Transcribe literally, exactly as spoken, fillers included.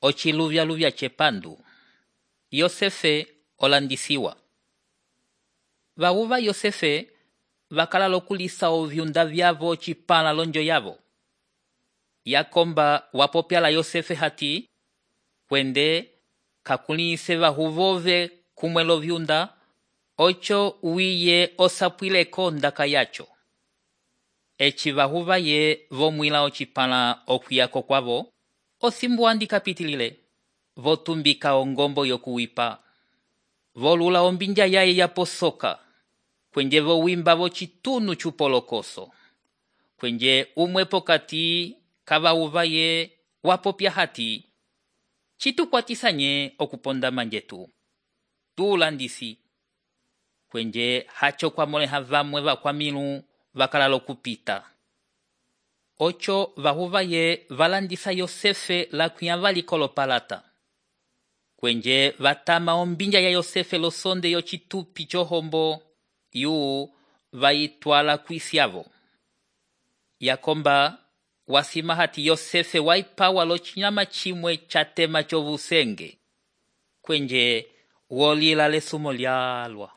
ociluvya-luvya cepandu. Yosefe olandisiwa. Vauva Yosefe vakala lokulisa ovyunda vyavo ocipãla lonjo yavo. Yakomba wapopyala Yosefe hati, kwende kakulise vahuvove kumwe lovyunda, ocho wiye osapwileko ndaka yacho. Eci vahuva ye vomwila ocipãla okwiyako kwavo, osimbu andi kapitilile, votumbika ongombo yokuwipa. Volula ombinja yaye yaposoka, kwenje vowimba vocitunu cupolokoso. Kwenje umwe pokati kavahuva ye wapopya hati, citukwatisanye okuponda manjetu. Tulandisi. Kwenje hacho kwa moleha vamwe vakwamilu vakala lokupita. Ocho vahuva ye valandisa Yosefe la kuyavali kolopalata. Kwenje vatama ombinja ya Yosefe losonde yocitupi chohombo, yu vaitwala kwisiavo. Yakomba wasima hati Yosefe waipawa lo chinyama chimwe chatema chovusenge. Kwenje wolila lesumo lyalwa.